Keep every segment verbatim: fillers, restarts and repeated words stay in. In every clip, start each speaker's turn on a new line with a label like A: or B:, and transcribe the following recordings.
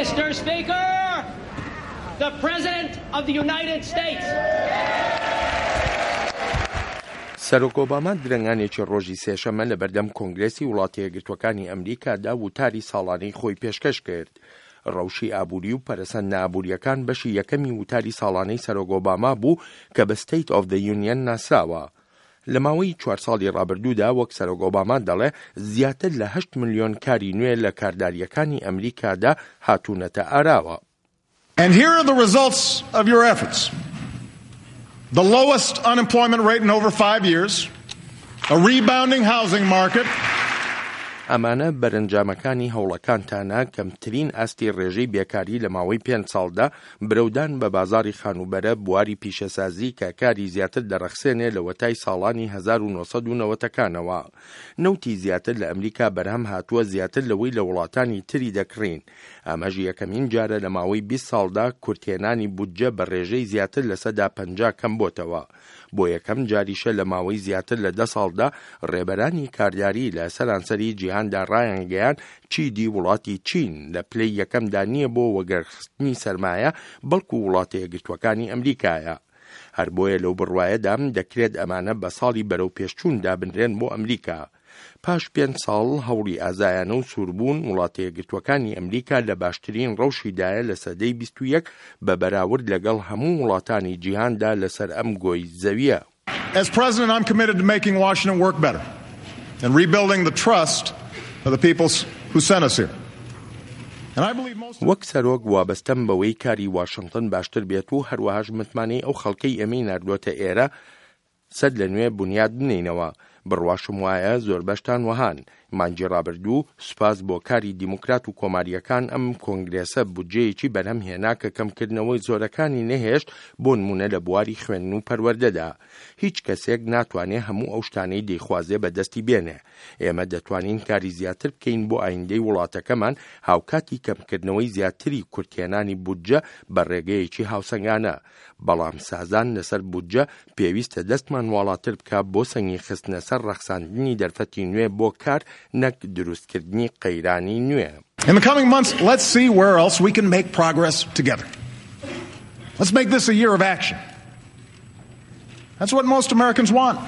A: Mister Speaker, the President of the United States.
B: سەرۆک ئۆباما درەنگانێکی ڕۆژی سێشەممە لە بەردەم کۆنگرێسی وڵاتە یەکگرتووەکانی ئەمریکادا وتاری ساڵانەی خۆی پێشکەش کرد. ڕەوشی ئابووری و پەرەسەندنە ئابووریەکان بەشی یەکەمی وتاری ساڵانەی سەرۆک ئۆباما بوو کە بە State of the Union ناسراوە. لە ماوەی چوار ساڵی ڕابردوودا، وەک سەرۆک ئۆباما دەڵێ، زیاتر لە هەشت ملیۆن کاری نوێ لە کارداریەکانی ئەمریکادا هاتوونەتە ئاراوە.
C: And here are the results of your efforts. The lowest unemployment rate in over five years, a rebounding housing market,
B: ئەمانە بەرەنجامەکانی هەوڵەکانتانە: کەمترین ئاستی ڕێژەی بێکاری لە ماوەی پێنج ساڵدا، برەودان بە بازاری خانووبەرە، بواری پیشەسازی کە کاری زیاتر دەڕەخسێنێ لەوەتای ساڵانی هەزار و نۆ سەد و نەوەد ەکانەوە، نەوتی زیاتر لە ئەمریکا بەرهەم هاتووە زیاتر لەوەی لە وڵاتانی تری دەکڕین. ئەمەش یەکەمین جارە لە ماوەی بیست ساڵدا کورتهێنانی بودجە بە ڕێژەی زیاتر لە سەدا پەنجا کەم بۆتەوە. بۆ یەکەم جاریشە لە ماوەی زیاتر لە دە ساڵدا ڕێبەرانی کارداری لە سەرانسەری جیهاندا ڕایانگەیان چیدی وڵاتی چین لە پلەی یەکەمدا نییە بۆ وەگەرخستنی سەرمایە، بەڵکو وڵاتە یەکگرتووەکانی ئەمریکایە. هەر بۆیە لەو بڕوایەدام دەکرێت ئەمانە بە ساڵی بەرەو پێشچوون دابنرێن بۆ ئەمریکا. پاش پێنج ساڵ هەوڵی ئازایانە و سووربوون، وڵاتە یەکگرتووەکانی ئەمریکا لە باشترین ڕەوشیدایە لە سەدەی بیست و یەک بە بەراورد لەگەڵ هەموو وڵاتانی جیهاندا لەسەر ئەم گۆی زەویە.
C: As president, I'm committed to making Washington work better and rebuilding the trust of the people who sent us here. And I believe most
B: وەک سەرۆک وابەستەم بەوەی کاری واشنگتن باشتر بێت و هەروەهاش متمانەی ئەو خەڵکەی ئێمەی ناردووەتە ئێرە سەر لە نوێ بنیاد بنینەوە. بڕواشم وایە زۆربەشتان وەهان. مانگی ڕابردوو، سوپاس بۆ کاری دیموکرات و کۆماریەکان، ئەم کۆنگرێسە بودجەیەکی بەرهەم هێنا کە کەمکردنەوەی زۆرەکانی نەهێشت، بۆ نمونە لە بواری خوێندن و پەروەردەدا. هیچ کەسێک ناتوانێت هەموو ئەو شتانەی دەیخوازێ بەدەستی بێنێ. ئێمە دەتوانین کاری زیاتر بکەین بۆ ئایندەی وڵاتەکەمان، هاوکاتی کەمکردنەوەی زیاتری کورتهێنانی بودجە بە ڕێگەیەکی هاوسەنگانە. بەڵام سازان لەسەر بودجە پێویستە دەستمان واڵاتر بکە بۆ سەنگی خستنە سەر ڕەخساندنی دەرفەتی نوێ بۆ کار، نەک دروستکردنی قەیرانی نوێ.
C: In the coming months, let's see where else we can make progress together. Let's make this a year of action. That's what most Americans want.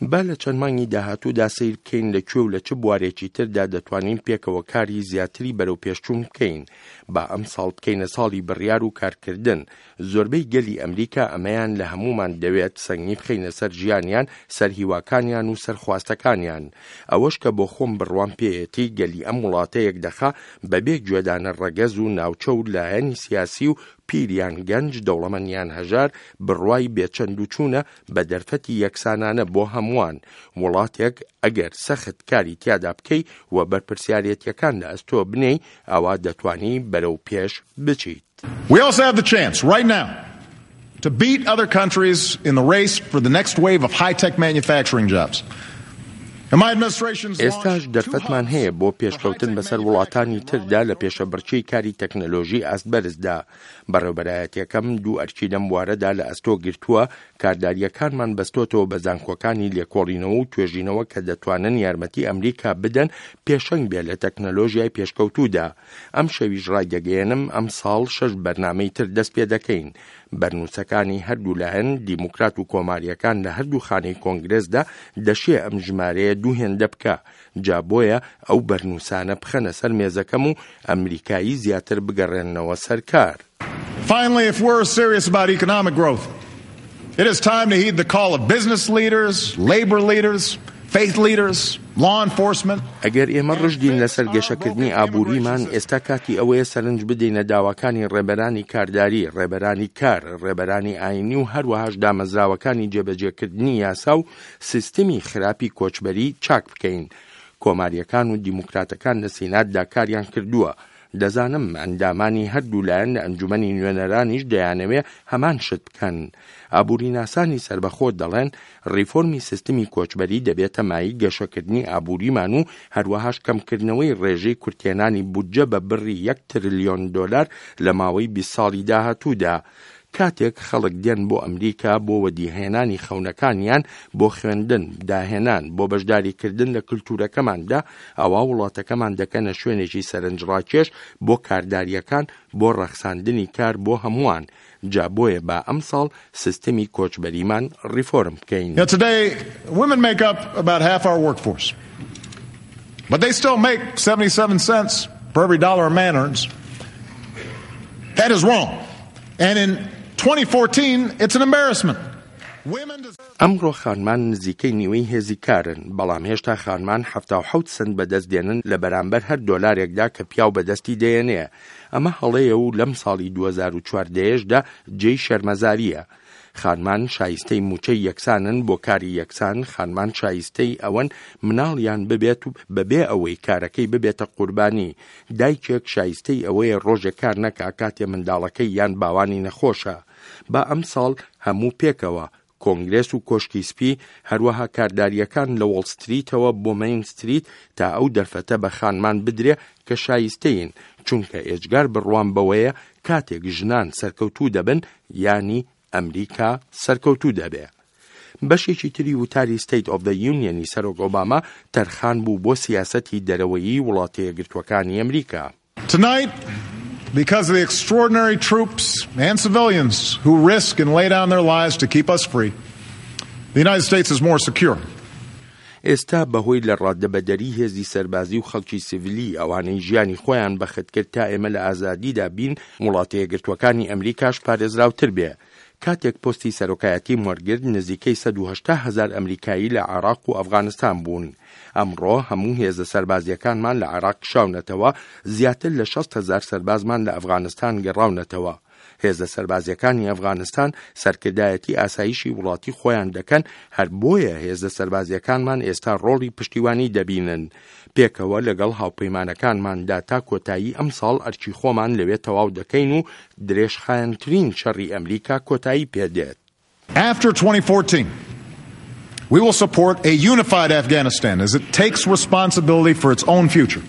B: با لە چەند مانگی داهاتوودا سەیر بکەین لە کوێ و لە چ بوارێکی تردا دەتوانین پێکەوە کاری زیاتری بەرەو پێشچوون بکەین. با ئەم ساڵ بکەینە ساڵی بڕیار و کارکردن. زۆربەی گەلی ئەمریکا ئەمەیان لە هەمومان دەوێت: سەنگی بخەینە سەر ژیانیان، سەر هیواکانیان و سەر خواستەکانیان. ئەوەش کە بۆ خۆم بڕوام پێیەتی گەلی ئەم وڵاتە یەکدەخا، بەبێ گوێدانە ڕەگەز و ناوچە و لایەنی سیاسی و پیر یان گەنج، دەوڵەمەند یان هەژار، بڕوای بێچەند و چوونە بە دەرفەتی یەکسانانە بۆ هەمووان. وڵاتێک ئەگەر سەخت کاری تیادا بکەی و بەرپرسیارەتیەکان لە ئەستۆ بنێی، ئەوە دەتوانی بەرەو پێش بچیت.
C: We also have the chance right now to beat other countries in the race for the next wave of high-tech manufacturing jobs.
B: ئێستاش دەرفەتمان هەیە بۆ پێشکەوتن بەسەر وڵاتانی تردا لە پێشەبڕکێی کاری تەکنەلۆژی ئاست بەرزدا. بەڕێوبەرایەتیەکەم دوو ئەرکی لەم بوارەدا لە ئەستۆ گرتووە. کارداریەکانمان بەستۆتەوە بە زانکۆکانی لێکۆڵینەوە و توێژینەوە کە دەتوانن یارمەتی ئەمریکا بدەن پێشەنگ بێ لە تەکنەلۆژیای پێشکەوتوودا. ئەم شەویش ڕایدەگەیەنم ئەم ساڵ شەش بەرنامەی تر دەست پێ دەکەین. بەرنووسەکانی هەردوو لایەن، دیموکرات و کۆماریەکان، لە هەردوو خانەی کۆنگرێسدا دەشێ ئەم ژمارەیە دوو هێندە بکە. جا بۆیە ئەو بەرنووسانە بخەنە سەر مێزەکەم و ئەمریکایی زیاتر بگەڕێننەوە سەر کار.
C: Finally, if we're serious about economic growth, it is time to heed the call of business leaders, labor leaders, faith leaders, law enforcement.
B: ئەگەر ئێمە ڕژدین لەسەر گەشەکردنی ئابووریمان، ئێستا کاتی ئەوەیە سەرنج بدەینە داواکانی ڕێبەرانی کارداری، ڕێبەرانی کار، ڕێبەرانی ئاینی و هەروەهاش دامەزراوەکانی جێبەجێکردنی یاسا و سیستمی خراپی کۆچبەری چاک بکەین. کۆماریەکان و دیموکراتەکان لە سیناتدا کاریان کردووە. دەزانم ئەندامانی هەردوو لایەن لە ئەنجومەنی نوێنەرانیش دەیانەوێ هەمان شت بکەن. ئابووریناسانی سەربەخۆ دەڵێن ڕیفۆرمی سیستمی کۆچبەری دەبێتە مایەی گەشەکردنی ئابووریمان و هەروەهاش کەمکردنەوەی ڕێژەی کورتێنانی بودجە بە بڕی یەک تریلیۆن دۆلار لە ماوەی بیست ساڵی داهاتوودا. کاتێک خەڵک دێن بۆ ئەمریکا بۆ وەدیهێنانی خەونەکانیان، بۆ خوێندن، داهێنان، بۆ بەشداریکردن لە کلتورەکەماندا، ئەوا وڵاتەکەمان دەکەنە شوێنێکی سەرنجڕاکێش بۆ کارداریەکان، بۆ ڕەخساندنی کار بۆ هەمووان. جا بۆیە با ئەمساڵ سیستمی کۆچبەریمان ڕیفۆرم بکەین.
C: Now today, women make up about half our workforce. But they still make seventy-seven cents for every dollar a man earns. That is wrong. And in twenty fourteen, it's an embarrassment.
B: ئەمڕۆ خانمان نزیکەی نیوەی هێزی کارن، بەڵام هێشتا خانمان حەفتا و حەوت سنت بەدەست دێنن لە بەرامبەر هەر دۆلارێکدا کە پیاو بەدەستی دێنێ. ئەمە هەڵەیە و لەم ساڵی دوو هەزار و چواردەیەشدا جێی شەرمەزاریە. خانمان شایستەی موچەی یەکسانن بۆ کاری یەکسان، خانمان شایستەی ئەوەن مناڵیان ببێت و بەبێ ئەوەی کارەکەی ببێتە قوربانی. دایکێک شایستەی ئەوەیە ڕۆژێک کار نەکا کاتێ منداڵەکەی یان باوانی نەخۆشە. با ئەمساڵ هەموو پێکەوە کۆنگرێس و کۆشکی سپی، هەروەها کارداریەکان لە وۆڵ ستریتەوە بۆ مەین ستریت تا ئەو دەرفەتە بە خانمان بدرێ کە شایستەین، چونکە ئێجگار بڕوام بەوەیە کاتێک ژنان سەرکەوتوو دەبن، یانی ئەمریکا سەرکەوتوو دەبێ. بەشێکی تری وتاری State of the Union ی سەرۆک ئۆباما تەرخان بوو بۆ سیاسەتی دەرەوەیی وڵاتە یەکگرتووەکانی ئەمریکا.
C: Tonight, because of the extraordinary troops and civilians who risk and lay down their lives to keep us free, the United States is more secure.
B: ئێستا بەهۆی لە ڕادەبەدەری هێزی سەربازی و خەڵکی سیڤیلی ئەوانەی ژیانی خۆیان بەخت کرد تا ئێمە لە ئازادیدا بین، وڵاتە یەکگرتووەکانی ئەمریکاش پارێزراوتر بێ. کاتێک پۆستی سەرۆکایەتی وەرگرت، نزیکەی سەد و هەشتا هەزار ئەمریکایی لە عێراق و ئەفغانستان بوون. ئەمڕۆ هەموو هێزە سەربازیەکانمان لە عێراق کشاونەتەوە، زیاتر لە شەست هەزار سەربازمان لە ئەفغانستان گەڕاونەتەوە. هێزە سەربازیەکانی ئەفغانستان سەرکردایەتی ئاسایشی وڵاتی خۆیان دەکەن، هەر بۆیە هێزە سەربازیەکانمان ئێستا ڕۆڵی پشتیوانی دەبینن. پێکەوە لەگەڵ هاوپەیمانەکانماندا تا کۆتایی ئەمساڵ ئەرکی خۆمان لەوێ تەواو دەکەین و درێژخایەنترین شەڕی ئەمریکا کۆتایی پێدێت.
C: After twenty fourteen, we will support a unified Afghanistan as it takes responsibility for its own future.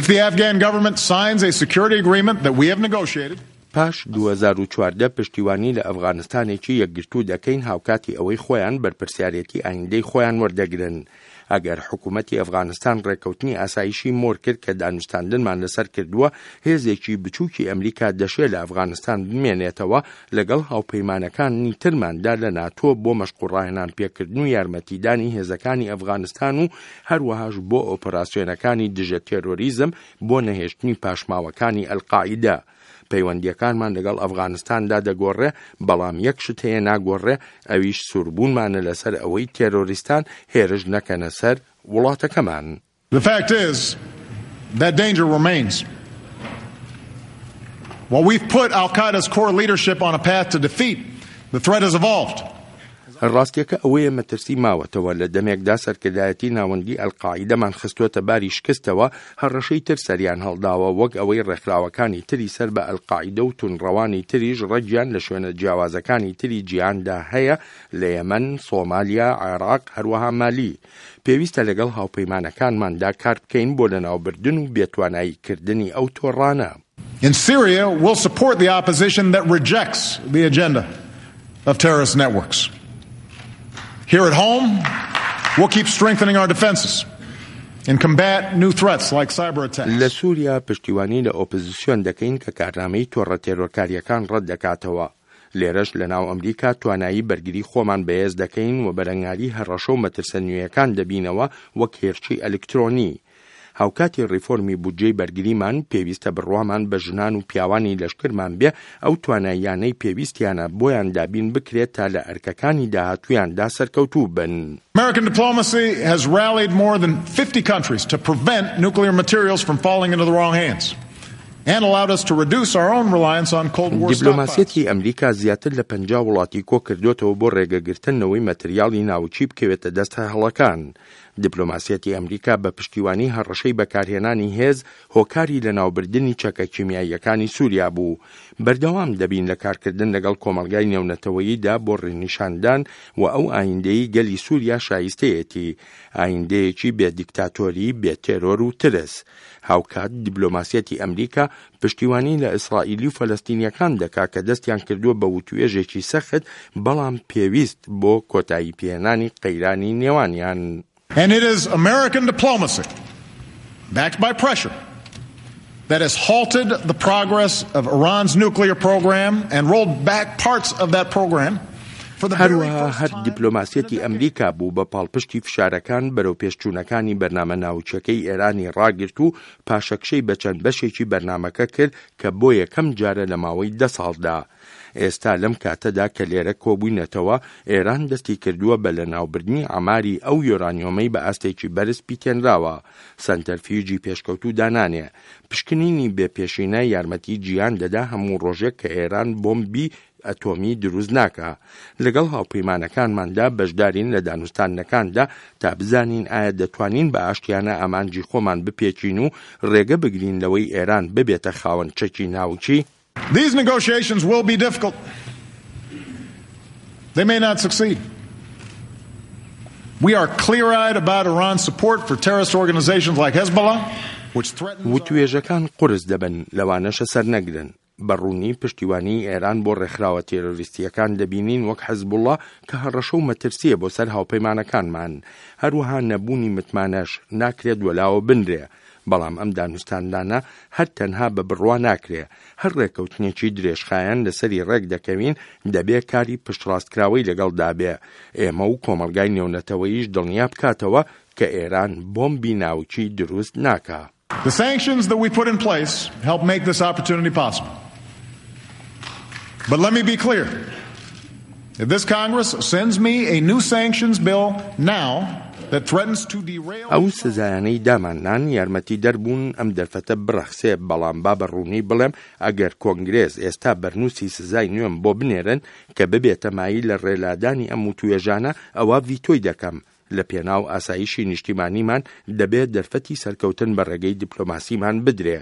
C: If the Afghan government signs a security agreement that we have negotiated,
B: پاش دوو هەزار و چواردە پشتیوانی لە ئەفغانستانێکی یەکگرتوو دەکەین، هاوکاتی ئەوەی خۆیان بەرپرسیارێتی ئایندەی خۆیان وەردەگرن. ئەگەر حکوومەتی ئەفغانستان ڕێککەوتنی ئاسایشی مۆر کرد کە دانوستاندنمان لەسەر کردووە، هێزێکی بچووکی ئەمریکا دەشێ لە ئەفغانستان بمێنێتەوە لەگەڵ هاوپەیمانەکانی ترماندا لە ناتۆ بۆ مەشق و ڕاهێنان پێکردن و یارمەتیدانی هێزەکانی ئەفغانستان و هەروەهاش بۆ ئۆپەراسیۆنەکانی دژە تێرۆریزم بۆ نەهێشتنی پاشماوەکانی ئەلقاعیدە. پەیوەندیەکانمان لەگەڵ ئەفغانستاندا دەگۆڕێ، بەڵام یەک شت هەیە ناگۆڕێ، ئەویش سووربوونمانە لەسەر ئەوەی تێرۆریستان هێرش نەکەنە سەر وڵاتەکەمان.
C: The fact is that danger remains. While we've put Al-Qaeda's core leadership on a path to defeat, the threat has evolved.
B: ڕاستیەکە ئەوەیە مەترسی ماوەتەوە لە دەمێکدا سەرکردایەتی ناوەندی ئەلقاعیدەمان خستووەتە باری شکستەوە، هەڕەشەی تر سەریان هەڵداوە، وەک ئەوەی ڕێکخراوەکانی تری سەر بە ئەلقاعیدە و تونڕەوانی تریش ڕەگیان لە شوێنە جیاوازەکانی تری جیهاندا هەیە لە یەمەن، سۆمالیا، عێراق، هەروەها مالی. پێویستە لەگەڵ هاوپەیمانەکانماندا کار بکەین بۆ لەناوبردن و بێتواناییکردنی ئەو تۆڕانە.
C: In Syria, we'll support the opposition that rejects the agenda of terrorist networks. Here at home, we'll keep strengthening our defenses and combat new threats like cyber attacks.
B: لە سووریا پشتیوانی لە ئۆپۆزیسیۆن دەکەین کە کارنامەی تۆڕە تێرۆرکاریەکان ڕەت دەکاتەوە. لێرەش لە ناو ئەمریکا توانایی بەرگری خۆمان بەهێز دەکەین و بەرەنگاری هەڕەشە و مەترسە نوێیەکان دەبینەوە وەک هێرشی ئەلکترۆنی. هاوکاتی ڕیفۆرمی بودجەی بەرگریمان پێویستە بڕوامان بە ژنان و پیاوانی لەشکرمان بێ ئەو تواناییانەی پێویستیانە بۆیان دابین بکرێت تا لە ئەرکەکانی داهاتوویاندا سەرکەوتوو بن.
C: American diplomacy has rallied more than fifty countries to prevent nuclear materials from falling into the wrong hands and allowed us to reduce our own reliance on Cold War stockpiles.
B: دیپلۆماسیەتی ئەمریکا زیاتر لە پەنجا وڵاتی کۆ کردوێتەوە بۆ ڕێگەگرتنەوەی مەتریاڵی ناوچی بکەوێتە دەست هەڵەکان. دیپلۆماسیەتی ئەمریکا بە پشتیوانی هەڕەشەی بەکارهێنانی هێز هۆکاری لەناوبردنی چەکە کیمیاییەکانی سووریا بوو. بەردەوام دەبین لە کارکردن لەگەڵ کۆمەلگای نێونەتەوەییدا بۆ ڕێنیشاندان و ئەو ئایندەی گەلی سووریا شایستەیەتی، ئایندەیەکی بێ دیکتاتۆری، بێ تێرۆر و ترس. هاوکات دیبلۆماسیەتی ئەمریکا پشتیوانی لە ئیسرائیلی و فەلەستینیەکان دەکا کە دەستیان کردووە بە وتوێژێکی سەخت بەڵام پێویست بۆ کۆتایی پێهێنانی قەیرانی نێوانیان.
C: And it is American diplomacy, backed by pressure, that has halted the progress of Iran's nuclear program and rolled back parts of that program.
B: هەروەها هەر دیپلۆماسیەتی ئەمریکا بوو بە پاڵپشتی فشارەکان بەرەو پێشچوونەکانی بەرنامە ناوچەکەی ئێرانی ڕاگرت و پاشەکشەی بە چەند بەشێکی بەرنامەکە کرد کە بۆ یەکەم جارە لە ماوەی دە ساڵدا. ئێستا لەم کاتەدا کە لێرە کۆبووینەتەوە، ئێران دەستی کردووە بە لەناوبردنی عەماری ئەو یۆرانیۆمەی بە ئاستێکی بەرز پیتێنراوە. سەنتەرفیوجی پێشکەوتوو دانانێ. پشکنینی بێپێشینە یارمەتی جیهان دەدا هەموو ڕۆژێک کە ئێران بۆمبی ئەتۆمی دروست ناکا. لەگەڵ هاوپەیمانەکانماندا بەشدارین لە دانوستاندنەکاندا تا بزانین ئایا دەتوانین بە ئاشتیانە ئامانجی خۆمان بپێکین و ڕێگە بگرین لەوەی ئێران ببێتە خاوەن چەکی ناوکی.
C: These negotiations will be difficult. They may not succeed. We are clear-eyed about Iran's support for terrorist organizations like Hezbollah, which threatens...
B: وتوێژەکان قورس دەبن، لەوانەشە سەرنەگرن. بە ڕوونی پشتیوانی ئێران بۆ ڕێکخراوە تێرۆریستیەکان دەبینین وەک حەزبوڵڵا کە هەڕەشە و مەترسیە بۆ سەر هاوپەیمانەکانمان. هەروەها نەبوونی متمانەش ناکرێت وەلاوە بنرێ. بەڵام ئەم دانوستاندانە هەر تەنها بە بڕوا ناکرێ. هەر ڕێککەوتنێکی درێژخایەن لەسەری ڕێک دەکەوین دەبێ کاری پشتڕاستکراوەی لەگەڵدا بێ. ئێمە و کۆمەڵگای نێونەتەوەیش دڵنیا بکاتەوە کە ئێران بۆمبی ناوکی دروست ناکا.
C: The sanctions that we put in place help make this opportunity possible. But let me be clear. If this Congress sends me a new sanctions bill now that threatens to derail...
B: ئەو سزایانەی داماننان یارمەتی دەربوون ئەم دەرفەتە بڕەخسێ، بەڵام با بە ڕوونی بڵێم ئەگەر کۆنگرێس ئێستا بەرنووسی سزای نوێم بۆ بنێرن کە ببێتە مایەی لە ڕێلادانی ئەم وتوێژانە، ئەوە ڤیتۆی دەکەم. لە پێناو ئاسایشی نیشتیمانیمان دەبێت دەرفەتی سەرکەوتن بە ڕێگەی دیپلۆماسیمان بدرێ.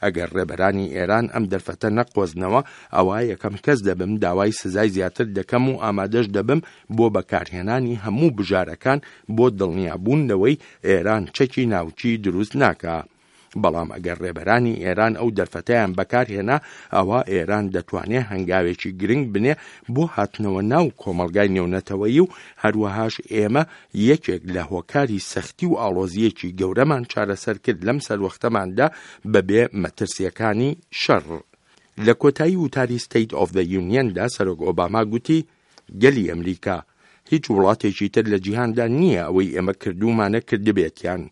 B: ئەگەر ڕێبەرانی ئێران ئەم دەرفەتە نەقۆزنەوە، ئەوە یەکەم کەس دەبم داوای سزای زیاتر دەکەم و ئامادەش دەبم بۆ بەکارهێنانی هەموو بژارەکان بۆ دڵنیابوون لەوەی ئێران چەکی ناوکی دروست ناکا. بەڵام ئەگەر ڕێبەرانی ئێران ئەو دەرفەتەیان بەکارهێنا، ئەوە ئێران دەتوانێت هەنگاوێکی گرنگ بنێ بۆ هاتنەوە ناو کۆمەڵگای نێونەتەوەیی و هەروەهاش ئێمە یەکێک لە هۆکاری سەختی و ئاڵۆزیەکی گەورەمان چارەسەر کرد لەم سەروەختەماندا بەبێ مەترسیەکانی شەڕ. لە کۆتایی وتاری State of the Union دا سەرۆک ئۆباما گوتی گەلی ئەمریکا هیچ وڵاتێکی تر لە جیهاندا نییە ئەوەی ئێمە کردومانە کردبێتیان.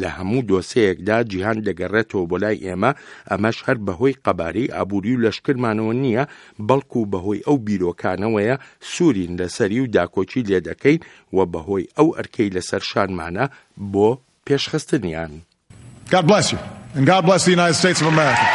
B: لە هەموو دۆسەیەکدا جیهان دەگەڕێتەوە بۆ لای ئێمە، ئەمەش هەر بەهۆی قەبارەی ئابووری و لەشکرمانەوە نییە، بەڵکو بەهۆی ئەو بیرۆکانەوەیە سوورین لەسەری و داکۆکی لێ دەکەین و بەهۆی ئەو ئەرکەی لەسەر شانمانە بۆ پێشخستنیان.
C: God bless you, and God bless the United States of America.